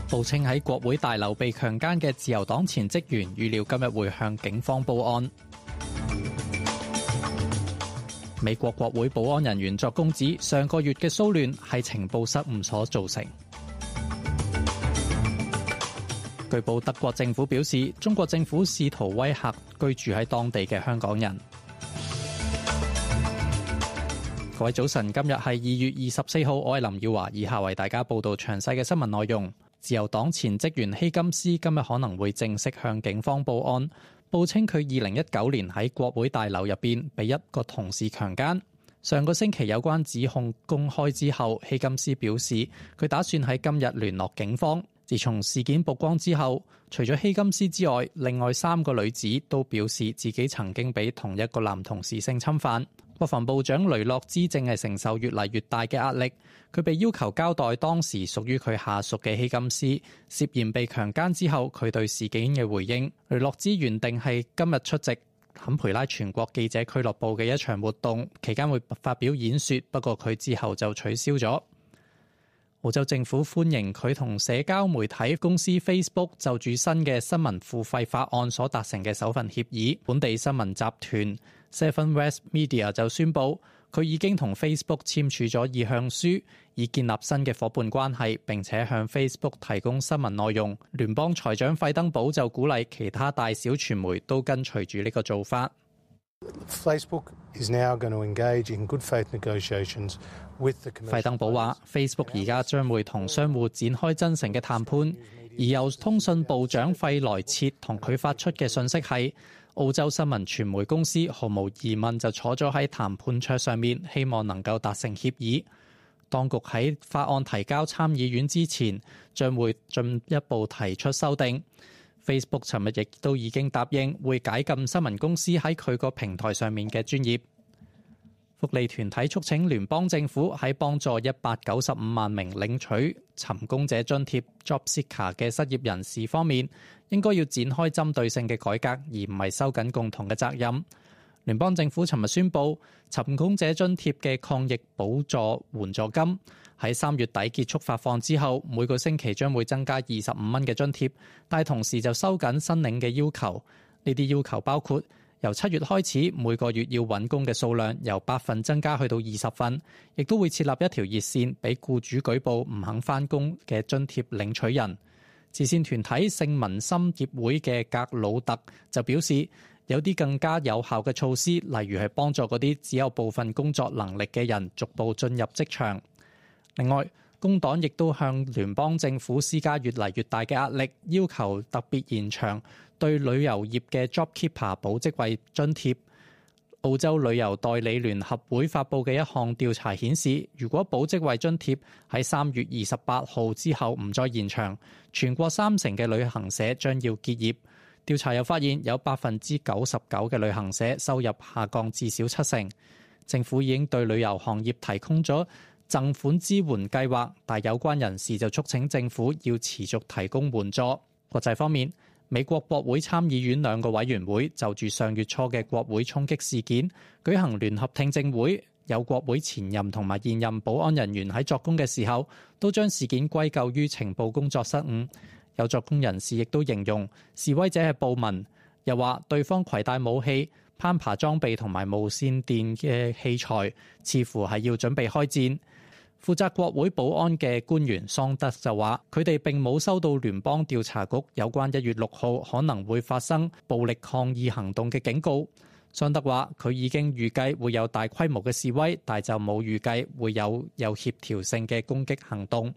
報稱喺國會大樓被強姦嘅自由黨前職員預料今日會向警方報案。美國國會保安人員作供指，上個月嘅騷亂係情報失誤所造成。據報德國政府表示，中國政府試圖威嚇居住喺當地嘅香港人。各位早晨，今日係2月24號，我係林耀華，以下為大家報道詳細嘅新聞內容。自由黨前職員希金斯今日可能會正式向警方報案，報稱佢2019年喺國會大樓入邊被一個同事強姦。上個星期有關指控公開之後，希金斯表示佢打算喺今日聯絡警方。自從事件曝光之後，除咗希金斯之外，另外3個女子都表示自己曾經被同一個男同事性侵犯。國防部長雷諾茲正係承受越嚟越大嘅壓力，佢被要求交代當時屬於佢下屬嘅希金斯涉嫌被強姦之後佢對事件嘅回應。雷諾茲原定係今日出席坎培拉全國記者俱樂部嘅一場活動，期間會發表演說，不過佢之後就取消咗。澳洲政府歡迎佢同社交媒體公司 Facebook 就住新嘅新聞付費法案所達成嘅首份協議。本地新聞集團 Seven West Media 就宣布，佢已經同 Facebook 簽署咗意向書，以建立新嘅夥伴關係，並且向 Facebook 提供新聞內容。聯邦財長費登堡就鼓勵其他大小傳媒都跟隨住呢個做法。Facebook is now going to engage in good faith negotiations with the commercial。費登堡話 ：Facebook 而家將會同商戶展開真誠嘅談判，而由通訊部長費萊切同佢發出嘅信息係，澳洲新聞傳媒公司毫無疑問就坐咗喺談判桌上面，希望能夠達成協議。當局喺法案提交參議院之前，將會進一步提出修訂。Facebook 尋日亦都已經答應會解禁新聞公司喺佢個平台上面嘅專頁。福利團體促請聯邦政府喺幫助195萬名領取尋工者津貼 Job Seeker 嘅失業人士方面，應該要展開針對性嘅改革，而唔係收緊共同嘅責任。聯邦政府尋日宣布，尋工者津貼嘅抗疫補助援助金喺3月底結束發放之後，每個星期將會增加25蚊嘅津貼，但同時就收緊申領嘅要求。呢啲要求包括由7月開始，每個月要揾工嘅數量由8份增加去到20份，亦都會設立一條熱線俾僱主舉報唔肯返工嘅津貼領取人。慈善團體聖民心協會嘅格魯特就表示，有啲更加有效嘅措施，例如係幫助嗰啲只有部分工作能力嘅人逐步進入職場。另外，工黨亦都向聯邦政府施加越嚟越大嘅壓力，要求特別延長對旅遊業嘅 JobKeeper 保職位津貼。澳洲旅遊代理聯合會發布嘅一項調查顯示，如果保職位津貼喺3月28號之後唔再延長，全國30%嘅旅行社將要結業。調查又發現有99%嘅旅行社收入下降至少70%。政府已經對旅遊行業提供咗贈款支援計劃，但有關人士就促請政府要持續提供援助。國際方面，美國國會參議院2個委員會就住上月初嘅國會衝擊事件舉行聯合聽證會，有國會前任同埋現任保安人員喺作供嘅時候，都將事件歸咎於情報工作失誤。有作供人士亦都形容示威者係暴民，又話對方攜帶武器、攀爬裝備同埋無線電嘅器材，似乎係要準備開戰。負責國會保安嘅官員桑德就話，佢哋並冇收到聯邦調查局有關1月6號可能會發生暴力抗議行動嘅警告。桑德話，佢已經預計會有大規模嘅示威，但就冇預計會有協調性嘅攻擊行動。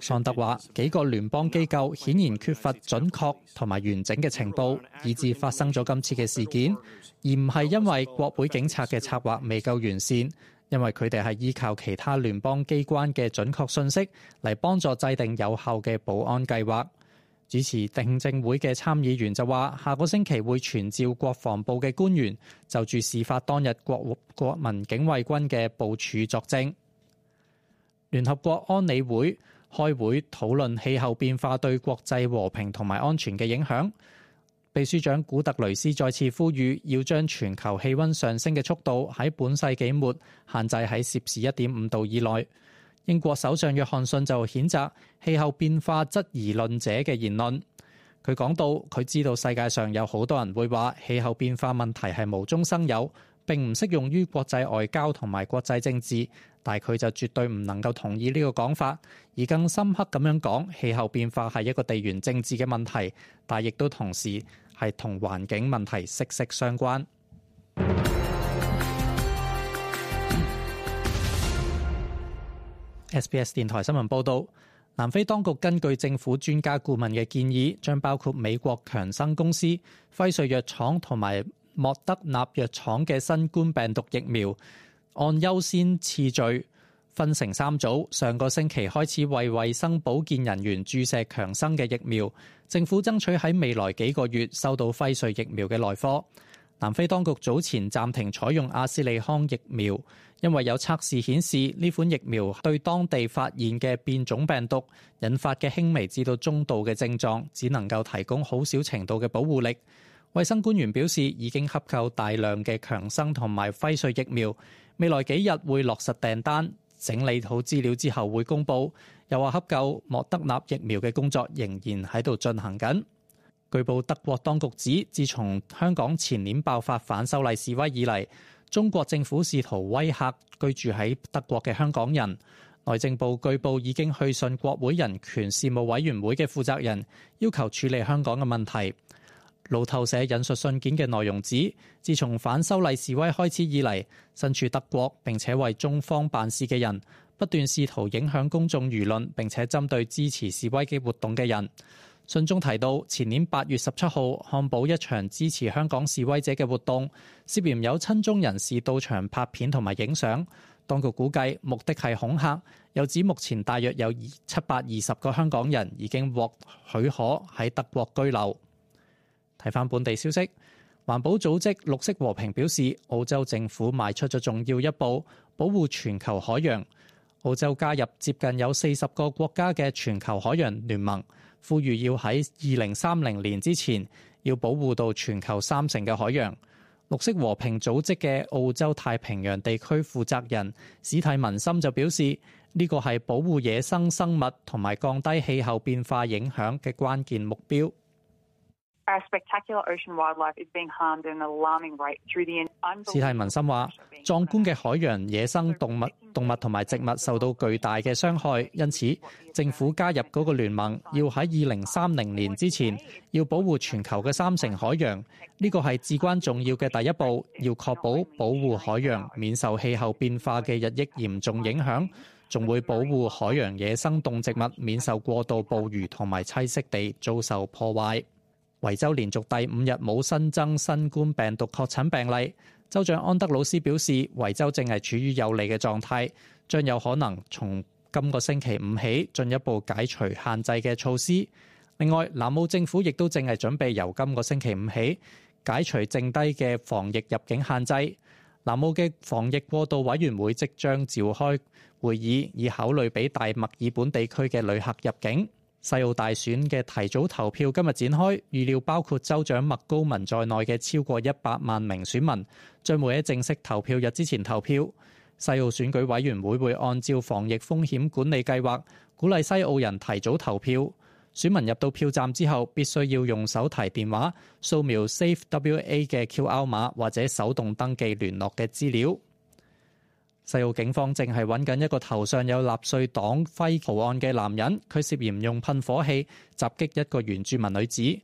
桑德話，幾個聯邦機構顯然缺乏準確同埋完整嘅情報，以致發生咗今次嘅事件，而唔係因為國會警察嘅策劃未夠完善，因為佢哋係依靠其他聯邦機關嘅準確信息嚟幫助制定有效嘅保安計劃。主持聽證會嘅參議員就話，下個星期會傳召國防部嘅官員就住事發當日國民警衛軍嘅部署作證。聯合國安理會開會討論氣候變化對國際和平同埋安全嘅影響。秘書長古特雷斯再次呼籲要將全球氣溫上升嘅速度喺本世紀末限制喺攝氏1.5度以內。英國首相約翰遜就譴責氣候變化質疑論者嘅言論。佢講到，佢知道世界上有好多人會話氣候變化問題係無中生有，並唔適用於國際外交同埋國際政治，但佢就絕對唔能夠同意呢個講法，而更深刻咁樣講，氣候變化係一個地緣政治嘅問題，但亦都同時係同環境問題息息相關。SBS 電台新聞報導，南非當局根據政府專家顧問嘅建議，將包括美國強生公司、輝瑞藥廠同埋莫德納藥廠嘅新冠病毒疫苗，按優先次序分成3組。上個星期開始為衛生保健人員注射強生嘅疫苗，政府爭取喺未來幾個月收到輝瑞疫苗嘅來貨。南非當局早前暫停採用阿斯利康疫苗，因為有測試顯示呢款疫苗對當地發現嘅變種病毒引發嘅輕微至到中度嘅症狀，只能夠提供好少程度嘅保護力。衛生官員表示，已經洽購大量嘅強生同埋輝瑞疫苗，未來幾日會落實訂單，整理好資料之後會公佈。又話洽購莫德納疫苗嘅工作仍然喺度進行緊。據報德國當局指，自從香港前年爆發反修例示威以嚟，中國政府試圖威嚇居住喺德國嘅香港人。內政部據報已經去信國會人權事務委員會嘅負責人，要求處理香港嘅問題。路透社引述信件嘅內容指，自從反修例示威開始以嚟，身處德國並且為中方辦事嘅人，不斷試圖影響公眾輿論，並且針對支持示威嘅活動嘅人。信中提到，前年8月17號漢堡一場支持香港示威者嘅活動，涉嫌有親中人士到場拍片同埋影相。當局估計目的係恐嚇，又指目前大約有720個香港人已經獲許可喺德國居留。睇返本地消息，環保組織綠色和平表示，澳洲政府邁出咗重要一步，保護全球海洋。澳洲加入接近有40個國家嘅全球海洋聯盟，呼籲要喺2030年之前要保護到全球30%嘅海洋。綠色和平組織嘅澳洲太平洋地區負責人史蒂文森就表示，呢個係保護野生生物同埋降低氣候變化影響嘅關鍵目標。史蒂文森話，壯觀嘅海洋野生動物同埋植物受到巨大嘅傷害，因此政府加入嗰個聯盟，要喺2030年之前要保護全球嘅30%海洋。呢個係至關重要嘅第一步，要確保保護海洋免受氣候變化嘅日益嚴重影響，仲會保護海洋野生動植物免受過度捕魚同埋棲息地遭受破壞。維州連續第5日冇新增新冠病毒確診病例，州長安德魯斯表示，維州正係處於有利嘅狀態，將有可能從今個星期5起進一步解除限制嘅措施。另外，南澳政府亦都正係準備由今個星期5起解除剩低嘅防疫入境限制。南澳嘅防疫過渡委員會即將召開會議，以考慮俾大墨爾本地區嘅旅客入境。西澳大選嘅提早投票今日展開，預料包括州長麥高文在內嘅超過100萬名選民將會喺正式投票日之前投票。西澳選舉委員會會按照防疫風險管理計劃，鼓勵西澳人提早投票。選民入到票站之後，必須要用手提電話掃描 SafeWA 嘅 QR 碼或者手動登記聯絡嘅資料。西澳警方正係揾緊一個頭上有納粹黨徽圖案嘅男人，佢涉嫌用噴火器襲擊一個原住民女子。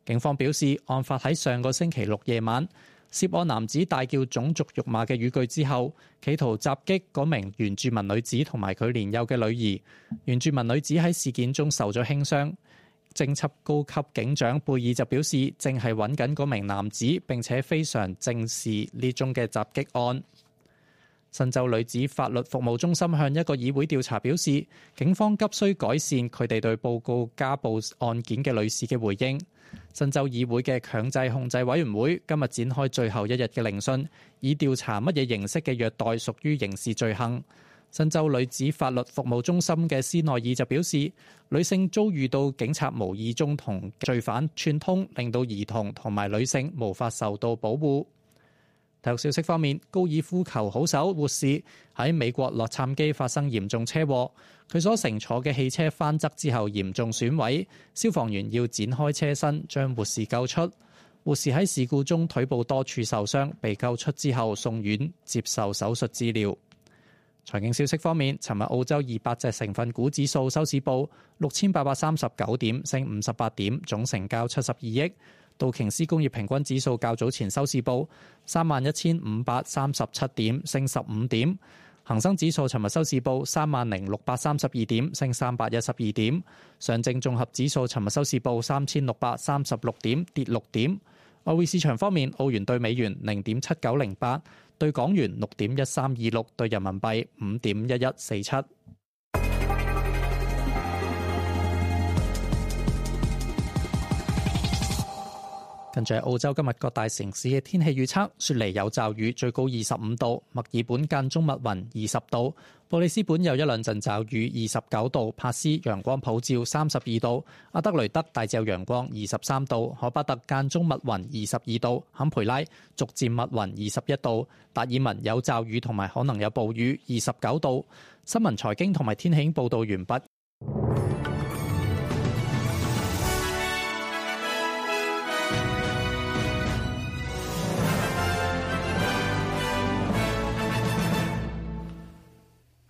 警方表示，案發喺上個星期6夜晚，涉案男子大叫種族辱罵嘅語句之後，企圖襲擊嗰名原住民女子同埋佢年幼嘅女兒。原住民女子喺事件中受咗輕傷。偵緝高級警長貝爾就表示，正係揾緊嗰名男子，並且非常正視呢宗嘅襲擊案。新州女子法律服務中心向一個議會調查表示，警方急需改善佢哋對報告家暴案件嘅女士嘅回應。新州議會嘅強制控制委員會今日展開最後一日嘅聆訊，以調查乜嘢形式嘅虐待屬於刑事罪行。新州女子法律服務中心嘅斯內爾就表示，女性遭遇到警察無意中同罪犯串通，令到兒童同埋女性無法受到保護。體育消息方面，高爾夫球好手活士喺美國洛杉磯發生嚴重車禍，佢所乘坐嘅汽車翻側之後嚴重損毀，消防員要展開車身將活士救出。活士喺事故中腿部多處受傷，被救出之後送院接受手術治療。財經消息方面，尋日澳洲200隻成分股指數收市報6839點，升58點，總成交72億。道瓊斯工業平均指數較早前收市報31,537點，升15點。恒生指數尋日收市報30,632點，升312點。上證綜合指數尋日收市報3,636點，跌6點。外匯市場方面，澳元對美元0.7908，對港元6.1326，對人民幣5.1147。跟住係澳洲今日各大城市嘅天氣預測：雪梨有驟雨，最高25度；墨爾本間中密雲，20度；布里斯本有一兩陣驟雨，29度；帕斯陽光普照，32度；阿德雷德大致有陽光，23度；荷巴特間中密雲，22度；坎培拉逐漸密雲，21度；達爾文有驟雨同埋可能有暴雨，29度。新聞財經同埋天氣報導完畢，